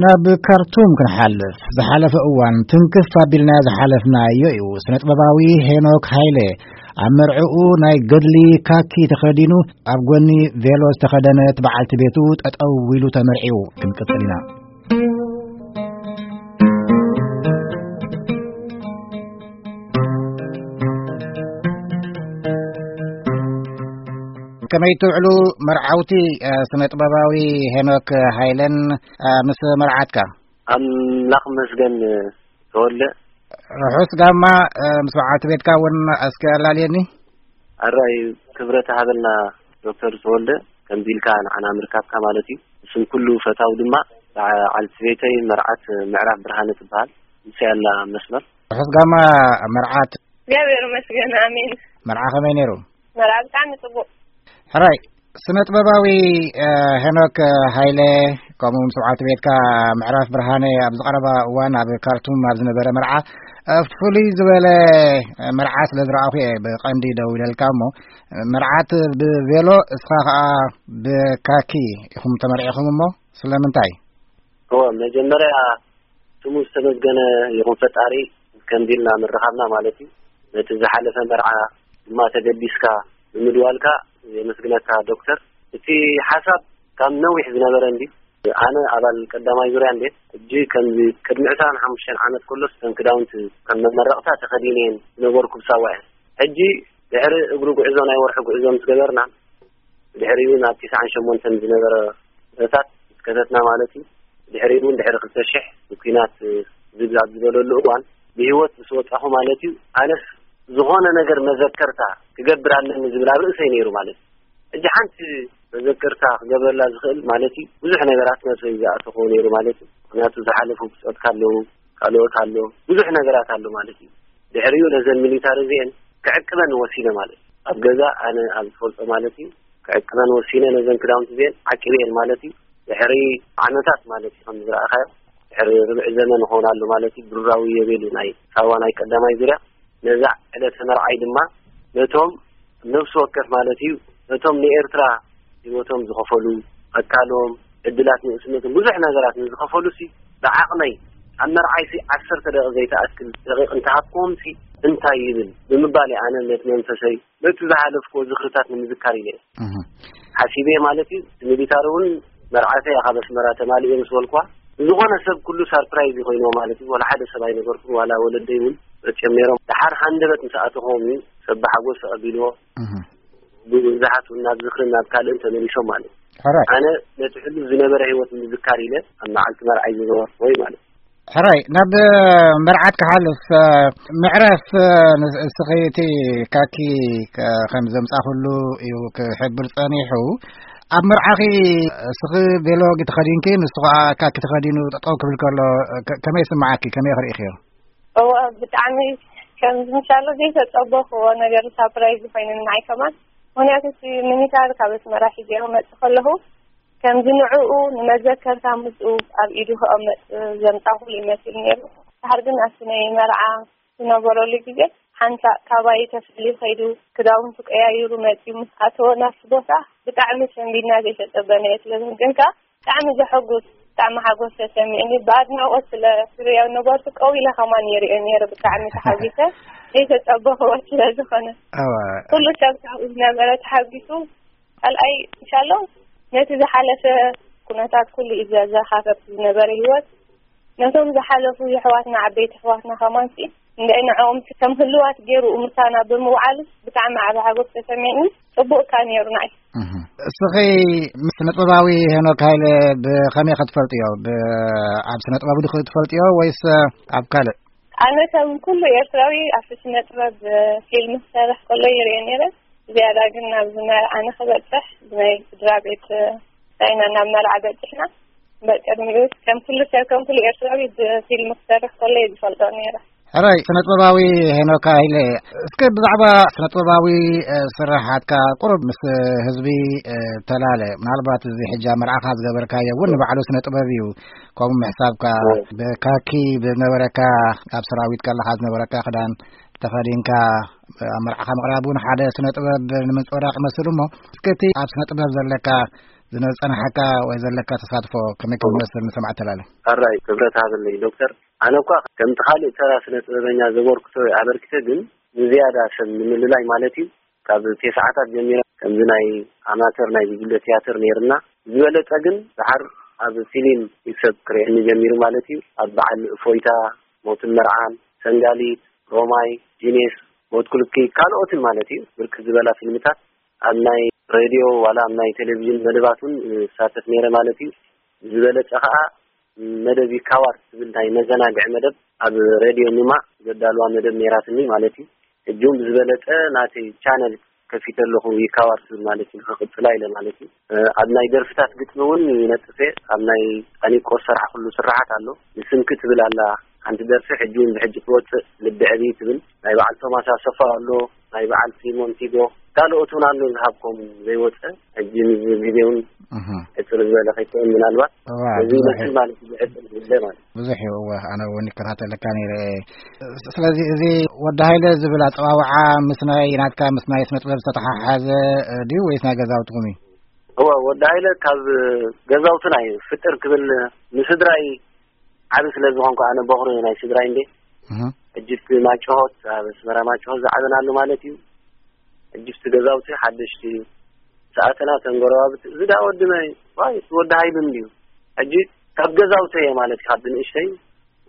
ናብ ካርቱም ክንሓልፍ፣ ዝሓለፈ እዋን ትንክፍ ኣቢልና ዝሓለፍናዮ እዩ። ስነ ጥበባዊ ሄኖክ ሃይለ ኣብ መርዕኡ ናይ ገድሊ ካኪ ተኸዲኑ፣ ኣብ ጎኒ ቬሎ ዝተኸደነት በዓልቲ ቤቱ ጠጠው ኢሉ ተመርዒው። ክንቅጽል ኢና። ከመይ ትውዕሉ መርዓውቲ፣ እ፣ ስነ ጥበባዊ ሄኖክ ሃይለን፣ እ፣ ምስ መርዓትካ? ኣምላኽ መስገን ተወልደ። ርሑስ ጋማ፣ እ፣ ምስ በዓልቲ ቤትካ እውን እስከ ኣላልየኒ። ኣራይ ክብረት ሃበልና ዶክተር ተወልደ፣ ከምዚ ኢልካ ንዓና ምርካብካ ማለት እዩ። ስም ኩሉ ፈታው ድማ በዓልቲ ቤተይ መርዓት ምዕራፍ ብርሃነ ትበሃል። ንሳ ያላ መስመር። ርሑስ ጋማ መርዓት። እግዚኣብሔር ይመስገን፣ ኣሜን። መርዓ ከመይ ነይሩ? መርዓ ብጣዕሚ ጽቡቕ። ሕራይ፣ ስነ ጥበባዊ፣ እ፣ ሄኖክ ሃይለ፣ ከምኡ ምስ በዓልቲ ቤትካ ምዕራፍ ብርሃነ ኣብዚ ቀረባ እዋን ኣብ ካርቱም ኣብ ዝነበረ መርዓ፣ እ፣ ፍሉይ ዝበለ መርዓ ስለ ዝረኣኹ እየ ብቐንዲ ደው ኢለልካ እሞ፣ መርዓት ብቬሎ፣ እስኻ ኸኣ ብካኪ ኢኹም ተመርዒኹም እሞ ስለምንታይ? እወ፣ መጀመርያ ስሙ ዝተመስገነ ይኹን ፈጣሪ፣ ከምዚ ኢልና ምርኻብና ማለት እዩ። ነቲ ዝሓለፈ መርዓ ድማ ተገዲስካ ብምድዋልካ የመስግነካ ዶክተር። እቲ ሓሳብ ካብ ነዊሕ ዝነበረ እንዲ፣ ኣነ ኣባል ቀዳማይ ዙርያ እንዴ፣ ሕጂ ከምዚ ቅድሚ ዕስራን ሓሙሽተን ዓመት ከሎስ እተን ክዳውንቲ ከም መመረቕታ ተኸዲነየን ዝነበርኩ ብሳዋ እየን። ሕጂ ድሕሪ እግሪ ጉዕዞ ናይ ወርሒ ጉዕዞ ምስ ገበርና፣ ድሕሪኡ ናብ ትስዓን ሸሞንተን ዝነበረ ኩነታት ምስ ከተትና ማለት እዩ። ድሕሪኡ እውን ድሕሪ ክልተ ሽሕ ብኲናት ዝብዛብ ዝበለሉ እዋን ብህይወት ምስ ወጻኹ ማለት እዩ፣ ኣነስ ዝኾነ ነገር መዘከርታ ክገብር ኣለኒ ዝብል ኣብ ርእሰይ ነይሩ ማለት እዩ። ሕጂ ሓንቲ መዘከርታ ክገብረላ ዝኽእል ማለት እዩ፣ ብዙሕ ነገራት ነብሰይ ዝኣተኾ ነይሩ ማለት እዩ። ምኽንያቱ ዝሓለፉ ብጾትካ ኣለዉ፣ ካልኦት ኣሎ፣ ብዙሕ ነገራት ኣሎ ማለት እዩ። ድሕሪኡ ነዘን ሚሊታሪ እዚአን ክዕቅበን ወሲነ ማለት እዩ። ኣብ ገዛ ኣነ ኣብ ዝፈልጦ ማለት እዩ፣ ክዕቅበን ወሲነ ነዘን ክዳውንቲ እዚአን ዓቂበየን ማለት እዩ። ድሕሪ ዓመታት ማለት እዩ፣ ከም ዝረኣኻዮ ድሕሪ ርብዒ ዘመን ይኸውን ኣሎ ማለት እዩ። ብሩራዊ የቤሉ ናይ ሳዋ ናይ ቀዳማይ ዙርያ ነዛ ዕለተ መርዓይ ድማ ነቶም ነፍሲ ወከፍ ማለት እዩ፣ ነቶም ንኤርትራ ህይወቶም ዝኸፈሉ፣ ኣካሎም፣ ዕድላት ንእስነቶም፣ ብዙሕ ነገራት ንዝኸፈሉ ሲ ብዓቕመይ ኣብ መርዓይ ሲ ዓሰርተ ደቂቕ ዘይተኣክል ደቂቕ እንተሃብክዎም ሲ እንታይ ይብል ብምባል እየ ኣነ ነቲ መንፈሰይ ነቲ ዝሓለፍክዎ ዝኽርታት ንምዝካር ኢለ እየ። እህ። ሓሲበ ማለት እዩ። እቲ ሚሊታሪ እውን መርዓተይ እያ ካብ ኣስመራ ተማሊኤ ምስ በልኳ፣ ዝኾነ ሰብ ኩሉ ሳርፕራይዝ እዩ ኮይንዎ ማለት እዩ። ዋላ ሓደ ሰብ ኣይነበርኩን፣ ዋላ ወለደይ እውን መፅኦም ነይሮም። ደሓር ሃንደበት ምስ ኣተኽዎም እዩ ሰብ ብሓጎስ ተቐቢልዎ። እህ። ብዙሓት እውን ናብ ዝኽርን ናብ ካልእን ተመሊሶም ማለት እዩ። ሕራይ። ኣነ ነቲ ሕሉፍ ዝነበረ ህይወት ንምዝካር ኢለ ኣብ መዓልቲ መርዓይ ዝገበርኩዎ እዩ ማለት እዩ። ሕራይ፣ ናብ መርዓት ክሓልፍ፣ እ፣ ምዕራፍ፣ እ፣ ንስ-፣ እስኺ እቲ ካኪ ከ-፣ ከም ዘምጻኹሉ እዩ ክሕብር ጸኒሑ። ኣብ መርዓኺ እስኺ ቬሎ ተኸዲንኪ፣ ንሱ ኸኣ ካኪ ተኸዲኑ ጠጠው ክብል ከሎ፣ ከ-፣ ከመይ ይስምዓኪ? ከመይ ክርእኽዮ? እወ፣ ብጣዕሚ ከም ዝምሻሎ ዘይተጸበኽዎ ነገር ሳፕራይዝ ኮይኑኒ ንዓይ ከማን። ምኽንያቱ እቲ ሚኒታር ካብ ኣስመራ ሒዘዮ መጽእ ከለኹ፣ ከምዚ ንዕኡ ንመዘከርታ ምስኡ ኣብ ኢዱ ክቐመጥ ዘምጻኹሉ ይመስል ነይሩ። ድሓር ግን ኣብቲ ናይ መርዓ ዝነበረሉ ግዜ ሓንሳእ ካባይ ተፈልዩ ከይዱ ክዳውንቱ ቀያይሩ መጺኡ ምስ ኣተወ ናብቲ ቦታ ብጣዕሚ ሰንቢድና ዘይተጸበናዮ ስለ ዝኽን ግን ከኣ ብጣዕሚ ዘሐጉስ ብጣዕሚ ሓጎስ ተሰሚዕኒ። ብኣድናቖት ስለ ዝርእዮ ነበርኩ ቀው ኢለ ከማን ይርእዮ ነይረ። ብጣዕሚ ተሓጒሰ። ዘይተጸበኽዎ ስለ ዝኾነ። ኣዋ። ኩሉ ሰብ ካብኡ ዝነበረ ተሓጒሱ ካልኣይ፣ እንሻሎ ነቲ ዝሓለፈ ኩነታት ኩሉ እዩ ዘዘኻኸር ዝነበረ ህይወት። ነቶም ዝሓለፉ የሕዋትና፣ ዓበይቲ ኣሕዋትና ከማንሲ፣ እንድዒ ንዕኦም ከም ህልዋት ገይሩ ምሳና ብምውዓሉ ብጣዕሚ ዓቢ ሓጎስ ተሰሚዕኒ። ጽቡቕ እካ ነይሩ ንዓይ። እህ። እስኺ ምስ ስነ ጥበባዊ ሄኖክ ሃይለ ብኸመይ ኸ ትፈልጥዮ? ብ-፣ ኣብ ስነ ጥበቡ ዲኺ ትፈልጥዮ ወይስ ኣብ ካልእ? ኣነ ከም ኩሉ ኤርትራዊ ኣብቲ ስነ ጥበብ ፊልም ክሰርሕ ከሎ ይርእዮ ነይረ። ዝያዳ ግን ናብዚ መርዓ ንኽበጽሕ ብናይ ስድራ ቤት ናይና ናብ መርዓ በጺሕና። በቅድሚኡ ከም ኩሉ ሰብ፣ ከም ኩሉ ኤርትራዊ ብፊልም ክሰርሕ ከሎ እየ ዝፈልጦ ነይረ። ሕራይ፣ ስነ ጥበባዊ ሄኖክ ሃይለ፣ እስከ ብዛዕባ ስነ ጥበባዊ፣ እ፣ ስራሓትካ ቁሩብ ምስ ህዝቢ፣ እ፣ ተላለ። ምናልባት እዚ ሕጂ ኣብ መርዓኻ ዝገበርካዮ እውን ንባዕሉ ስነ ጥበብ እዩ። ከምኡ ምሕሳብካ፣ እዎ። ብካኪ ብነበረካ፣ ኣብ ሰራዊት ከለኻ ዝነበረካ ክዳን ተኸዲንካ ኣብ መርዓኻ ምቕራብ እውን ሓደ ስነ ጥበብ ንምንጽብራቕ ይመስል እሞ፣ እስከ እቲ ኣብ ስነ ጥበብ ዘለካ ዝነጸናሓካ ወይ ዘለካ ተሳትፎ ከመይ ከም ዝመስል ንሰማዕ ተላለ። ሕራይ ክብረት ሃበለይ ዶክተር። ኣነ እኳ ከምቲ ካልእ ተራ ስነ ጥበበኛ ዘበርክቶ ኣበርክተ፣ ግን ብዝያዳ ሰብ ንምልላይ ማለት እዩ። ካብ ቴስዓታት ጀሚረ ከምዚ ናይ ኣማተር ናይ ጉጅለ ትያትር ነይርና። ዝበለጸ ግን ድሓር ኣብ ፊልም እዩ ሰብ ክርእየኒ ጀሚሩ ማለት እዩ። ኣብ በዓል እፎይታ፣ ሞትን መርዓን፣ ሰንጋሊት፣ ሮማይ፣ ጂኔስ፣ ሞት ኩልኪ፣ ካልኦትን ማለት እዩ። ብርክት ዝበላ ፊልምታት ኣብ ናይ ሬድዮ ዋላ ኣብ ናይ ቴሌቪዥን መደባት እውን እሳተፍ ነይረ ማለት እዩ። ዝበለጸ ከኣ መደብ ይካዋር ትብል ናይ መዘናግዒ መደብ ኣብ ሬድዮ ኑማ ዘዳልዋ መደብ ነይራትኒ ማለት እዩ። ሕጂ እውን ብዝበለጸ ናተይ ቻነል ከፊተ ኣለኹ፣ ይካዋር ትብል ማለት እዩ፣ ክቕጽላ ኢለ ማለት እዩ። ኣብ ናይ ደርፍታት ግጥሚ እውን ይነጥፍ እየ። ኣብ ናይ ጣኒቆ ዝሰርሓ ኩሉ ስርሓት ኣሎ። ንስምኪ ትብል ኣላ ሓንቲ ደርፊ፣ ሕጂ እውን ብሕጂ ትወጽእ፣ ልቢ ዕብይ ትብል። ናይ በዓል ቶማስ ኣሰፋ ኣሎ፣ ናይ በዓል ሲሞን ቲጎ፣ ካልኦት እውን ኣሎ ዝሃብኮም ዘይወጸ። ሕጂ ንዚ ግዜ እውን እህ። ሕጽር ዝበለ ከይከውን ምናልባት እዋ፣ እዚ ብዙሕ ይመስል ማለት እዩ፣ ሕጽር ዝበለ ማለት። ብዙሕ እዩ። እወ፣ ኣነ እውን ይከታተለካ ነይረ። ስለዚ እዚ ወዲ ሃይለ ዝብል ኣጸዋውዓ ምስ ናይ ናትካ፣ ምስ ናይ ስነ ጥበብ ዝተተሓሓዘ ድዩ ወይስ ናይ ገዛውትኹም እዩ? እወ፣ ወዲ ሃይለ ካብ ገዛውትና እዩ። ፍጥር ክብል ንስድራይ ዓቢ ስለ ዝኾንኩ፣ ኣነ በኹሪ ናይ ስድራይ እንዴ። እህ። ሕጂ እቲ ማጭሆት፣ ኣብ ኣስመራ ማጭሆት ዝዓበናሉ ማለት እዩ። ሕጂ እቲ ገዛውቲ ሓደሽቲ እዩ። ሰኣተና ተንጎረባብቲ፣ እዚ ዳ ወዲ መን እዩ? ዋይ፣ ወዲ ሃይሉ እንድዩ። ሕጂ ካብ ገዛውቲ እየ ማለት እዩ፣ ካብ ብንእሽተይ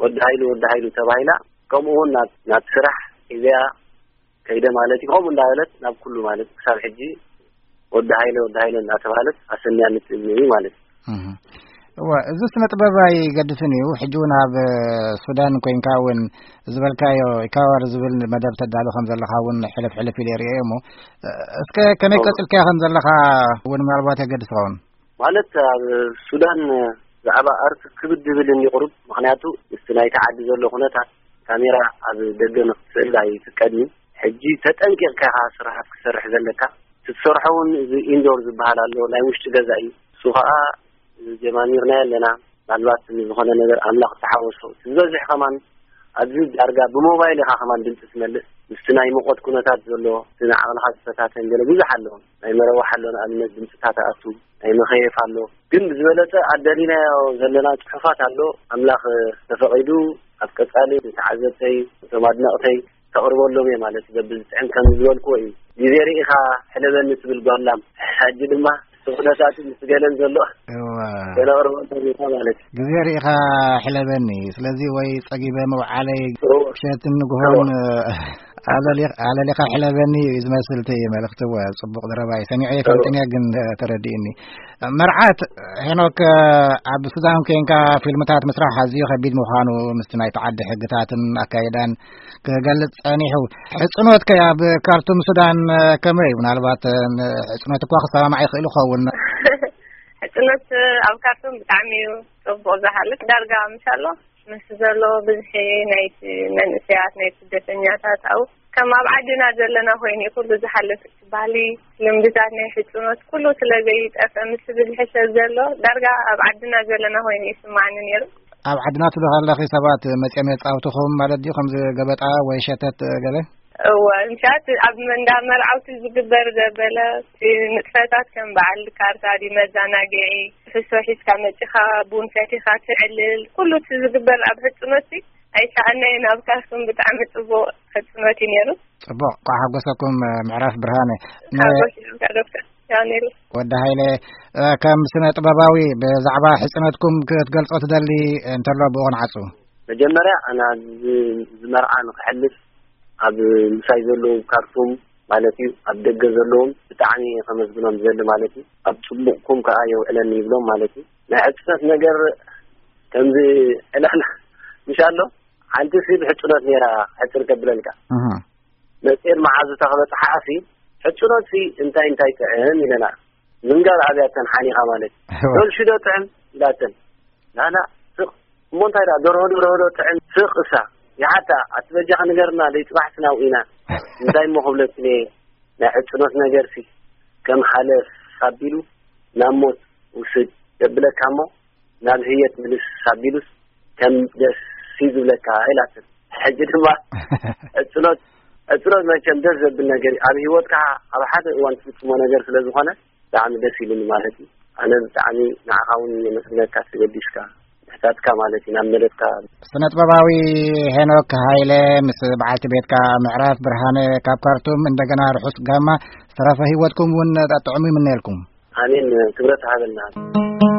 ወዲ ሃይሉ፣ ወዲ ሃይሉ ተባሂላ። ከምኡ እውን ናብ፣ ናብ ስራሕ ሒዘያ ከይደ ማለት እዩ። ከምኡ እንዳበለት ናብ ኩሉ ማለት ክሳብ ሕጂ ወዲ ሃይለ፣ ወዲ ሃይለ እንዳተባሃለት ኣሰንያ ንትእዝዝ እዩ ማለት እዩ። እህ። እወ፣ እዚ ስነ ጥበብ ኣይገድፍን እዩ። ሕጂ እውን ኣብ ሱዳን ኮይንካ እውን ዝበልካዮ ኢካዋር ዝብል መደብ ተዳሉ ከም ዘለኻ እውን ሕልፍ ሕልፍ ኢለ ይርእዮ እሞ፣ እስከ ከመይ እወ። ቀጽልካዮ ከም ዘለኻ እውን ምናልባት የገድስ ይኸውን። ማለት ኣብ ሱዳን ብዛዕባ ኣርት ክብድ ዝብል እንዲ ቁሩብ፣ ምኽንያቱ ምስቲ ናይቲ ዓዲ ዘሎ ኩነታት ካሜራ ኣብ ደገ ንክትስእል ኣይፍቀድን እዩ። ሕጂ ተጠንቂቕካ ኢኻ ስራሓት ክትሰርሕ ዘለካ። እቲ ትሰርሖ እውን እዚ ኢንዶር ዝበሃል ኣሎ፣ ናይ ውሽጢ ገዛ እዩ። እሱ ኸዓ ጀማሚርናዮ ኣለና። ምናልባት ዝኾነ ነገር ኣምላኽ ዝተሓወሶ፣ እቲ ዝበዝሕ ከማን ኣብዚ ዳርጋ ብሞባይል ኢኻ ከማን ድምፂ ትመልእ። ምስቲ ናይ ሙቐት ኩነታት ዘሎ፣ እቲ ንዓቕልኻ ዝፈታተን ገለ ብዙሕ ኣሎ። ናይ መረዋሕ ኣሎ፣ ንኣብነት ድምፅታት ኣቱ፣ ናይ መኸየፍ ኣሎ። ግን ብዝበለፀ ኣደሊናዮ ዘለና ፅሑፋት ኣሎ። ኣምላኽ ተፈቒዱ ኣብ ቀፃሊ ንተዓዘብተይ፣ እቶም ኣድነቕተይ ተቕርበሎም እየ ማለት እዩ። በብዝጥዕም ከም ዝበልክዎ እዩ። ግዜ ርኢኻ ሕለበኒ ትብል ጓላም። ሕጂ ድማ እቲ ኩነታት ምስ ገለን ዘሎ እዋ። ከነቕርበሎም ኢና ማለት እዩ። ግዜ ርኢኻ ሕለበኒ። ስለዚ ወይ ጸጊበ መውዓለይ እዎ። ምሸትን ንግሆን እዎ። ኣለሊ-፣ ኣለሊኻ ሕለበኒ እዩ ዝመስል እቲ መልእኽቲ። እወ፣ ጽቡቕ ዘረባ እዩ። ሰሚዐዮ እዎ። ኣይፈልጥን እየ፣ ግን ተረዲእኒ። መርዓት ሄኖክ፣ ኣብ ሱዳን ኮንካ ፊልምታት ምስራሕ ኣዝዩ ከቢድ ምዃኑ ምስቲ ናይቲ ዓዲ ሕግታትን ኣካይዳን ክገልጽ ጸኒሑ። ሕጽኖት ከ ኣብ ካርቱም ሱዳን ከመይ እዩ? ምናልባት፣ እ፣ ሕጽኖት እኳ ክሰማማዕ ይኽእል ይኸውን። ሕጽኖት ኣብ ካርቱም ብጣዕሚ እዩ ጽቡቕ ዝሓልፍ። ዳርጋ ምሻሎ ምስ ዘሎ ብዝሒ ናይቲ መንእሰያት፣ ናይ ስደተኛታት፣ ኣብኡ ከም ኣብ ዓድና ዘለና ኮይኑ እዩ ኩሉ ዝሓልፍ። እቲ ባህሊ፣ ልምድታት ናይ ሕጽኖት ኩሉ ስለ ዘይጠፍእ፣ ምስ ዝብዝሒ ሰብ ዘሎ ዳርጋ ኣብ ዓድና ዘለና ኮይኑ ይስማዓኒ ነይሩ። ኣብ ዓድና ትብሊ ከለኺ ሰባት መጺኦም የጻውትኹም ማለት ድዩ? ከምዚ ገበጣ ወይ ሸተት ገለ? እወ፣ ምሻት ኣብ መንዳ መርዓውቲ ዝግበር ዘበለ፣ እቲ ንጥፈታት ከም በዓል ካርታ ድዩ፣ መዘናግዒ፣ ፍሶ ሒዝካ መጺኻ፣ ቡን ሰቲኻ ትዕልል፣ ኩሉ እቲ ዝግበር ኣብ ሕጽኖትሲ ኣይሰኣናይን። ኣብ ካርቱም ብጣዕሚ ጽቡቕ ሕጽኖት እዩ ነይሩ። ጽቡቕ፣ እንኳዕ ሓጎሰኩም ምዕራፍ ብርሃነ። ነ- ሓጎስ ይብልካ ዶክተር ዳንኤል። ወዲ ሃይለ፣ እ፣ ከም ስነ ጥበባዊ ብዛዕባ ሕጽኖትኩም ክትገልጾ ትደሊ እንተሎ ብኡ ክንዓጹ። መጀመርያ ኣነ ኣብዚ፣ እዚ መርዓ ንክሕልፍ ኣብ ምሳይ ዘለዉ ካርቱም ማለት እዩ፣ ኣብ ደገ ዘለዎም ብጣዕሚ ከመስግኖም ዝደሊ ማለት እዩ። ኣብ ጽቡቕኩም ከኣ የውዕለኒ ይብሎም ማለት እዩ። ናይ ሕጽነት ነገር ከምዚ ዕላል ምሽ ኣሎ፣ ሓንቲ ሲ ብሕጽኖት ነይራ ሕጽር ከብለልካ። እህ። መጽኤን መዓዙታ ክበጽሓ ኣሲ፣ ሕጽኖት ሲ እንታይ እንታይ ጥዕም ኢለና። ምንጋር ኣብያተን ሓኒኻ ማለት። እወ። ዶልሽዶ ጥዕም ኢላተን። ላላ፣ ስቕ። እሞ እንታይ ደኣ፣ ደርሆ፣ ደርሆ ዶ ጥዕም? ስቕ እሳ። ይሓታ፣ ኣቲ በጃኺ ንገርና፣ ደይ ጽባሕ ስናው ኢና። እንታይ እሞ ክብለኪ እየ፣ ናይ ሕጽኖት ነገርሲ፣ ከም ሓለፍ ኣቢሉ ናብ ሞት ውስድ የብለካ እሞ፣ ናብ ህየት ምልስ ኣቢሉስ፣ ከም ደስ እዩ ዝብለካ ኢላትን። ሕጂ ድማ፣ ዕጽሎት፣ ዕጽሎት መቸም ደስ ዘብል ነገር እዩ። ኣብ ህይወትካ ኣብ ሓደ እዋን ትፍጽሞ ነገር ስለ ዝኾነ፣ ብጣዕሚ ደስ ኢሉኒ ማለት እዩ። ኣነ ብጣዕሚ ንዓኻ እውን የመስግነካ፣ ተገዲስካ ምሕታትካ ማለት እዩ ናብ መደብካ። ስነ ጥበባዊ ሄኖክ ሃይለ ምስ በዓልቲ ቤትካ ምዕራፍ ብርሃነ ካብ ካርቱም እንደገና ርሑስ ጋማ ዝተረፈ ህይወትኩም እውን ጥዑም ይምነየልኩም። ኣሜን። ክብረት ሃበልና።